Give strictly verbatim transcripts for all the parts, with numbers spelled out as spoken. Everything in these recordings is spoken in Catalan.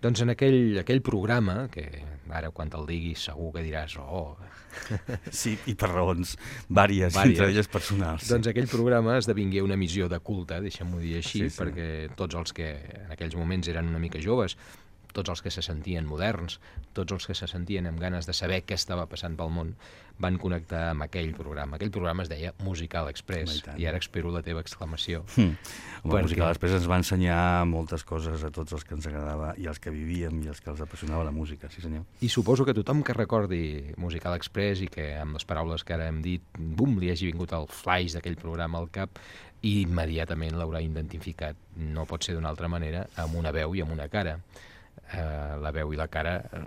Doncs en aquell, aquell programa, que ara quan te'l diguis segur que diràs oh... Sí, i per raons vàries, vàries. entre elles personals. Sí. Doncs aquell programa esdevingué una missió de culte, deixem-ho dir així, sí, sí. perquè tots els que en aquells moments eren una mica joves, tots els que se sentien moderns, tots els que se sentien amb ganes de saber què estava passant pel món, van connectar amb aquell programa. Aquell programa es deia Musical Express, i ara espero la teva exclamació. Mm. Home, perquè... Musical Express ens va ensenyar moltes coses a tots els que ens agradava, i els que vivíem, i els que els apassionava la música, sí senyor. I suposo que tothom que recordi Musical Express i que amb les paraules que ara hem dit, bum, li hagi vingut el flaix d'aquell programa al cap, i immediatament l'haurà identificat, no pot ser d'una altra manera, amb una veu i amb una cara. Uh, la veu i la cara uh,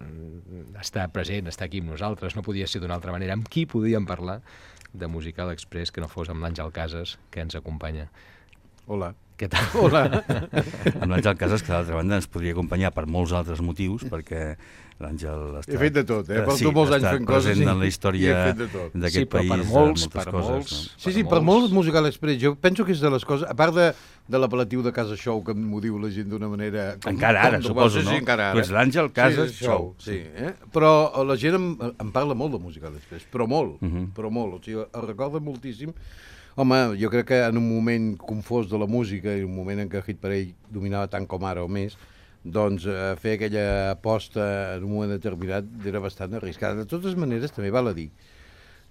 està present, està aquí amb nosaltres, no podia ser d'una altra manera. Amb qui podíem parlar de Musical Express que no fos amb l'Àngel Casas, que ens acompanya? Hola. Què tal? Hola. Amb l'Àngel Casas, que d'altra banda ens podria acompanyar per molts altres motius, perquè l'Àngel està... He fet de tot, eh? Porto sí, molts anys fent coses. Present en la història d'aquest sí, país. Per molts, moltes per coses, molts. No? Sí, sí, per molts Musical Express. Jo penso que és de les coses... A part de, de l'apel·latiu de Casa Show, que m'ho diu la gent d'una manera... Com, encara ara, com, suposo, sí, no? Sí, encara ara. Tu ets l'Àngel Casas sí, Show. Sí, eh? Però la gent em, em parla molt de Musical Express, però molt, uh -huh. però molt. O sigui, el recorda moltíssim. Home, jo crec que en un moment confós de la música, i un moment en què Hit Parade dominava tant com ara o més, doncs eh, fer aquella aposta en un moment determinat era bastant arriscada. De totes maneres, també val a dir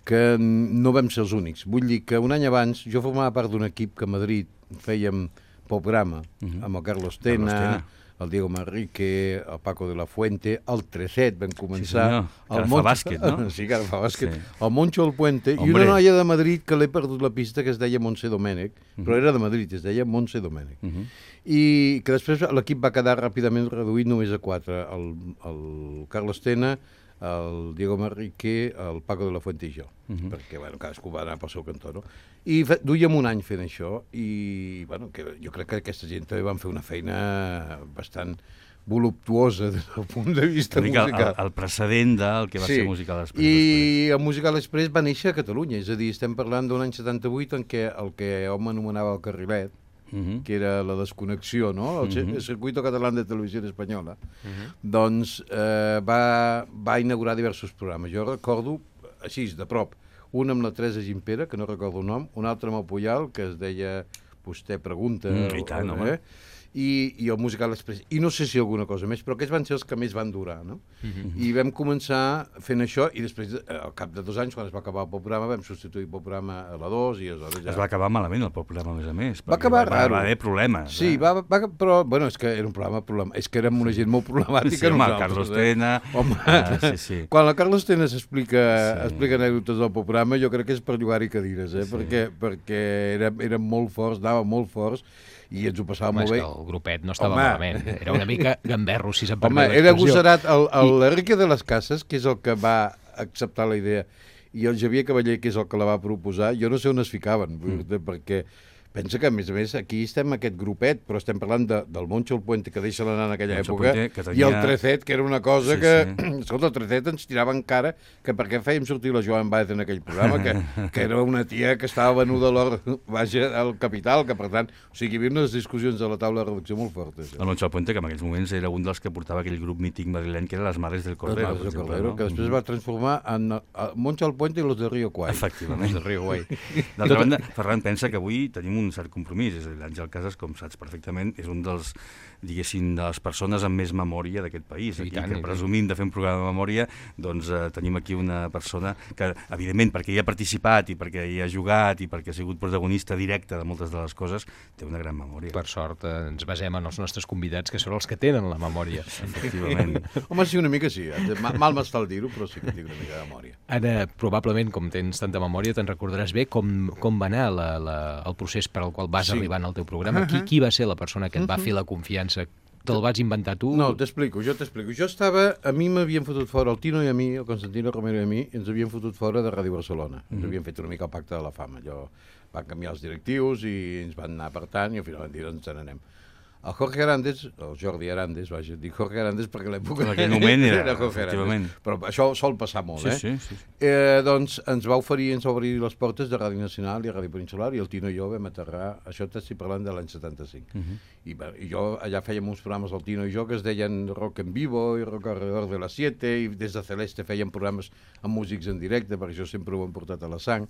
que no vam ser els únics. Vull dir que un any abans jo formava part d'un equip que a Madrid fèiem programa, uh -huh. amb el Carlos Tena, Carlos Tena, el Diego Manrique, el Paco de la Fuente, el Treset, vam començar... Sí, que ara fa bàsquet, no? Sí, que ara fa bàsquet. Sí. El Moncho El Puente, Hombre. I una noia de Madrid que l'he perdut la pista, que es deia Montse Domènech, uh -huh. però era de Madrid, es deia Montse Domènech. Uh -huh. I que després l'equip va quedar ràpidament reduït només a quatre. El, el Carlos Tena, el Diego Manrique, el Paco de la Fuente i jo, uh -huh. perquè bueno, cadascú va anar pel seu cantó, no? I fe, duíem un any fent això, i bueno, que jo crec que aquesta gent també van fer una feina bastant voluptuosa des del punt de vista musical. El, el precedent del que va sí. ser Musical Express. I després. El Musical Express va néixer a Catalunya, és a dir, estem parlant d'un any setanta-vuit en què el que hom anomenava el carrilet, Uh -huh. que era la desconnexió, no? El, uh -huh. el Circuito Catalán de Televisió Espanyola, uh -huh. doncs eh, va, va inaugurar diversos programes. Jo recordo, així, de prop, un amb la Teresa Gimpera, que no recordo el nom, un altre amb el Puyal, que es deia Vostè pregunta... Mm, I tant, home. Eh? I, i el Musical Express. I no sé si alguna cosa més, però aquests van ser els que més van durar, no? Uh-huh. I vam començar fent això, i després, al cap de dos anys, quan es va acabar el programa, vam substituir el programa a la dos, i aleshores ja... Es va acabar malament el programa, a més a més. Va acabar va, raro. Va haver problemes. Sí, eh? va, va, però, bueno, és que era un programa, problema, és que érem una gent molt problemàtica. Sí, home, Carlos Tena... Home, ah, sí, sí. Quan el Carlos Tena s'explica sí. explica anècdotes del programa, jo crec que és per llogar-hi cadires, eh? Sí. perquè, perquè érem, érem molt forts, anàvem molt forts, i ens ho passàvem Home, molt bé. És que el grupet no estava Home. malament. Era una mica gamberro, si se'n Home, era agosarat. L'Enrique de les Cases, que és el que va acceptar la idea, i el Javier Cavaller, que és el que la va proposar, jo no sé on es ficaven, mm. perquè pensa que, a més a més, aquí estem aquest grupet, però estem parlant de, del Moncho El Puente, que deixa l'anar en aquella Moncho època, Puente, tenia... i el Trecet, que era una cosa sí, que... Sí. Escolta, el Trecet ens tirava en cara que per què fèiem sortir la Joan Baez en aquell programa, que, que era una tia que estava venuda a l'or, vaja, al capital, que per tant... O sigui, hi havia unes discussions a la taula de redacció molt fortes. El Moncho El Puente, que en aquells moments era un dels que portava aquell grup mític madrileny, que era les Mares del Cordero. Les Mares del Cordero, no? Que després mm -hmm. va transformar en el Moncho El Puente i los de Río Guay. Efectivament. Els de Río Guay. D'altra banda, Ferran pensa que avui tenim un cert compromís. És a dir, l'Àngel Casas, com saps perfectament, és un dels, diguéssim, de les persones amb més memòria d'aquest país. Aquí, tant, que presumim de fer un programa de memòria, doncs eh, tenim aquí una persona que, evidentment, perquè hi ha participat i perquè hi ha jugat i perquè ha sigut protagonista directe de moltes de les coses, té una gran memòria. Per sort, eh, ens basem en els nostres convidats, que són els que tenen la memòria. Efectivament. Home, sí, una mica sí. Mal m'està el dir-ho, però sí que tinc una mica de memòria. Ara, probablement, com tens tanta memòria, te'n recordaràs bé com, com va anar la, la, el procés per al qual vas sí. arribar al teu programa. Qui, qui va ser la persona que et va fer la confiança? Te'l vas inventar tu? No, t'explico, jo t'explico. Jo estava... A mi m'havien fotut fora, el Tino i a mi, el Constantino Romero i a mi, ens havien fotut fora de Ràdio Barcelona. Ens mm -hmm. havien fet una mica el pacte de la fama. Allò, van canviar els directius i ens van anar apartant i al final van dir, doncs, ens n'anem. El Jorge Arandes, el Jordi Arandes, vaja, dic Jorge Arandes perquè l'època... En aquell moment era, era Jorge Arandes. Però això sol passar molt, sí, eh? Sí, sí, sí. Eh, doncs ens va oferir, ens va obrir les portes de Ràdio Nacional i Ràdio Peninsular i el Tino i jo vam aterrar, això t'estic parlant de l'any setanta-cinc. Uh -huh. I, bé, I jo allà fèiem uns programes, el Tino i jo, que es deien Rock en Vivo i Rock alrededor de las siete, i des de Celeste fèiem programes amb músics en directe, perquè això sempre ho hem portat a la sang.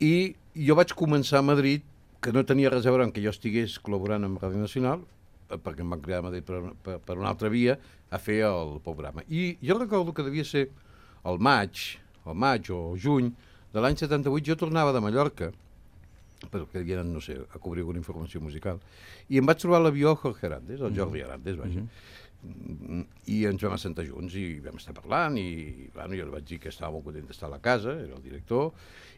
I jo vaig començar a Madrid, que no tenia res a veure amb que jo estigués col·laborant amb Ràdio Nacional, perquè em van cridar a Madrid per, per, per una altra via, a fer el programa. I jo recordo que devia ser el maig, el maig o juny de l'any setanta-vuit, jo tornava de Mallorca, perquè havia anat, no sé, a cobrir alguna informació musical, i em vaig trobar l'avió Jorge Arandes, el Jordi Arandes, vaja, mm-hmm. i ens vam assentar junts i vam estar parlant, i bueno, jo li vaig dir que estava molt content d'estar a la casa, era el director,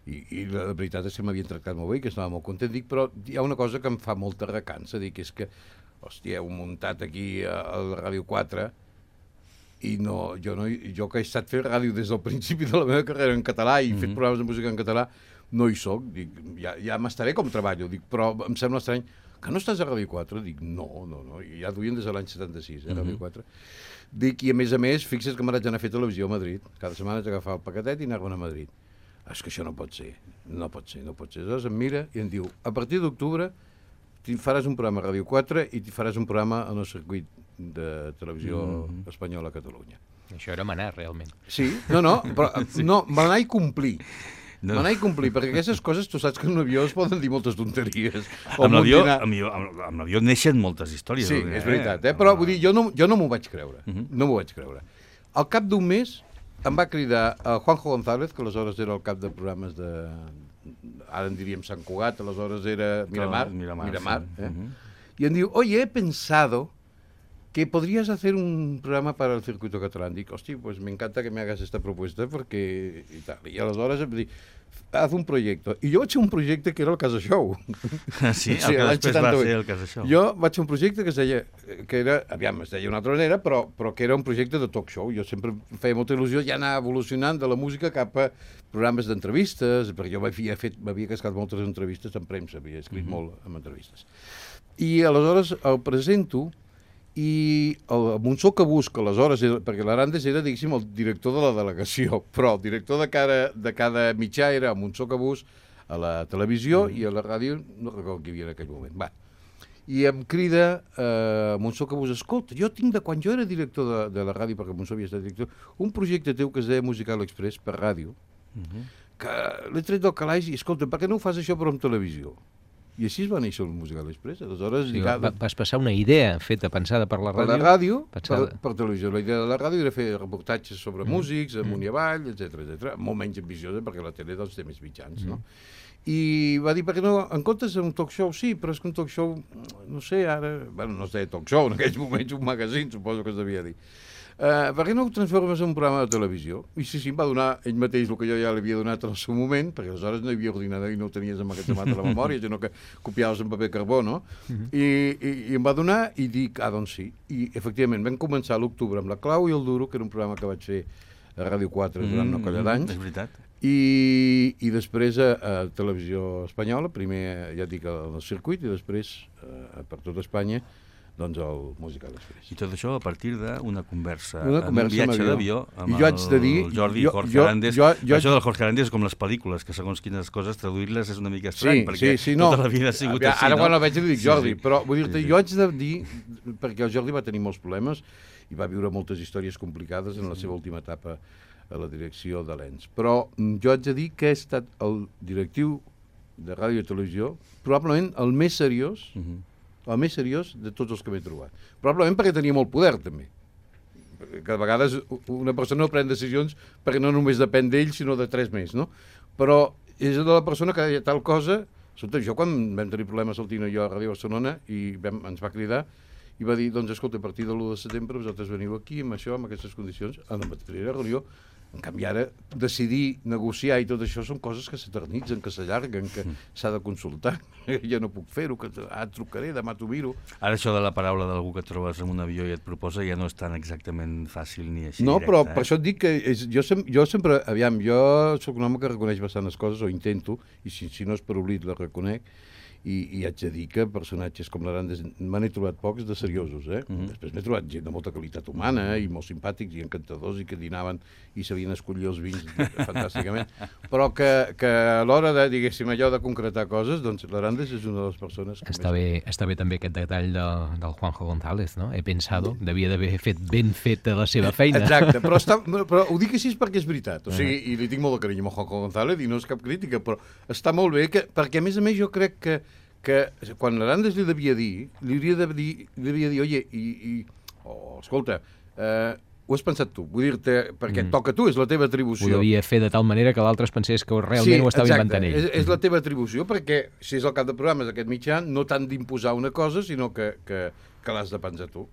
i, i la veritat és que m'havien tractat molt bé, que estava molt content, dic, però hi ha una cosa que em fa molta recança, dic, és que hòstia, heu muntat aquí a la Ràdio quatre i no, jo, no, jo que he estat fent ràdio des del principi de la meva carrera en català i he mm-hmm. fet programes de música en català, no hi soc, dic, ja, ja m'estaré com treballo, dic, però em sembla estrany que no estàs a Ràdio quatre? Dic, no, no, no, ja duien des de l'any setanta-sis, eh, mm-hmm. Ràdio quatre. Dic, i a més a més, fixa't que m'haig d'anar a fer televisió a Madrid, cada setmana haig d'agafar el paquetet i anar-me'n a Madrid. És que això no pot ser, no pot ser, no pot ser. Llavors em mira i em diu, a partir d'octubre faràs un programa a Ràdio quatre i faràs un programa en el circuit de televisió mm-hmm. espanyola a Catalunya. Això era manar, realment. Sí, no, no, però sí. no, manar i complir. No. Manar i complir, perquè aquestes coses tu saps que en un avió es poden dir moltes tonteries. Amb l'avió dinar... amb, amb l'avió neixen moltes històries. Sí, és veritat, eh? Però vull dir, jo no, jo no m'ho vaig creure, mm-hmm. no m'ho vaig creure. Al cap d'un mes em va cridar a Juanjo González, que aleshores era el cap de programes de... ara en diríem Sant Cugat, aleshores era Miramar, Miramar, Miramar sí. eh? Uh-huh. Y em diu, oye, he pensado que podrías hacer un programa para el circuito catalán. Dic, hosti, pues me encanta que me hagas esta propuesta porque... I, tal. I aleshores em dic, haz un proyecto. I jo vaig fer un projecte que era el Casa Show. Sí, el sí, que després va ser el Casa Show. Jo vaig fer un projecte que es deia, que era, aviam, es deia una altra manera, però, però que era un projecte de talk show. Jo sempre feia molta il·lusió ja anar evolucionant de la música cap a programes d'entrevistes, perquè jo m'havia fet, m'havia cascat moltes entrevistes en premsa, havia escrit mm-hmm. molt en entrevistes. I aleshores el presento i el Monsó Cabús, que aleshores, era, perquè l'Arandes era, diguéssim, el director de la delegació, però el director de cada, de cada mitjà era el Monsó Cabús a la televisió mm. i a la ràdio, no recordo qui hi havia en aquell moment. Va. I em crida eh, Monsó Cabús, escolta, jo tinc de quan jo era director de, de la ràdio, perquè Monsó havia estat director, un projecte teu que es deia Musical Express per ràdio, mm-hmm. que l'he tret del calaix i, escolta, per què no ho fas això però en televisió? I així es va néixer el Musical Express. Aleshores, sí, lligada... Vas passar una idea feta, pensada per la ràdio. Per la ràdio, pensada... per, per televisió. La idea de la ràdio era fer reportatges sobre mm. músics, amunt i avall, etcètera, etcètera. Molt menys ambiciosa, perquè la tele doncs, té més mitjans, mm. no? I va dir, perquè no, en comptes d'un talk show, sí, però és que un talk show, no sé, ara... Bueno, no es deia talk show, en aquells moments un magazine, suposo que es devia dir. Uh, per què no ho transformes en un programa de televisió? I sí, sí, em va donar ell mateix el que jo ja l'havia donat en el seu moment, perquè aleshores no hi havia ordinador i no ho tenies emmagatzemat a la memòria, sinó que copiaves en paper carbó, no? Uh-huh. I, i, I em va donar i dic, ah, doncs sí. I efectivament vam començar a l'octubre amb La Clau i el Duro, que era un programa que vaig fer a Ràdio quatre durant mm, una colla d'anys. És veritat. I, i després a, a Televisió Espanyola, primer ja dic al circuit i després a, per tot Espanya, doncs el Musical Express. I tot això a partir d'una conversa, una conversa en un viatge d'avió amb jo haig de dir, el Jordi jo, Jorge jo, Arandes. Jo, jo, això del Jorge Arandes és com les pel·lícules, que segons quines coses traduir-les és una mica estrany, sí, perquè sí, sí, no. tota la vida ha sigut Ara, així, ara no? quan el veig li dic Jordi, sí, sí. Però vull dir-te, sí, sí. jo haig de dir, perquè el Jordi va tenir molts problemes i va viure moltes històries complicades en la seva última etapa a la direcció de l'E N S. Però jo haig de dir que he estat el directiu de ràdio i televisió, probablement el més seriós, uh-huh. el més seriós de tots els que m'he trobat. Probablement perquè tenia molt poder, també. Que a vegades una persona no pren decisions perquè no només depèn d'ell, sinó de tres més, no? Però és de la persona que deia tal cosa... Escolta, jo quan vam tenir problemes el Tino i jo a Ràdio Barcelona i vam, ens va cridar i va dir, doncs escolta, a partir de l'u de setembre vosaltres veniu aquí amb això, amb aquestes condicions, a la mateixa reunió. En canvi, ara, decidir, negociar i tot això són coses que s'eternitzen, que s'allarguen, que mm. s'ha de consultar. Jo no puc fer-ho, que ah, trucaré, demà t'ho miro. Ara això de la paraula d'algú que et trobes en un avió i et proposa ja no és tan exactament fàcil ni així no, directe. Però eh? per això et dic que és, jo, sem jo sempre, aviam, jo sóc un home que reconeix bastantes coses, o intento, i si, si no és per oblit la reconec, i, i haig de dir que personatges com l'Arandes me n'he trobat pocs de seriosos, eh? Mm-hmm. Després m'he trobat gent de molta qualitat humana i molt simpàtics i encantadors i que dinaven i sabien escollir els vins fantàsticament, però que, que a l'hora de, diguéssim, allò de concretar coses, doncs l'Arandes és una de les persones que està més... Bé, està bé també aquest detall de, del Juanjo González, no? He pensado, devia d'haver fet ben feta la seva feina. Exacte, però, està, però ho dic així perquè és veritat, o sigui, i li tinc molt de carinyo a Juanjo González i no és cap crítica, però està molt bé, que, perquè a més a més jo crec que, que quan l'Arandes li devia dir, li hauria de dir, li devia dir, oye, i, i oh, escolta, eh, ho has pensat tu, vull dir-te, perquè mm. toca a tu, és la teva atribució. Ho devia fer de tal manera que l'altre es pensés que realment sí, ho estava exacte. inventant ell. És, és la teva atribució, perquè si és el cap de programes d'aquest mitjà, no t'han d'imposar una cosa, sinó que, que, que l'has de pensar tu.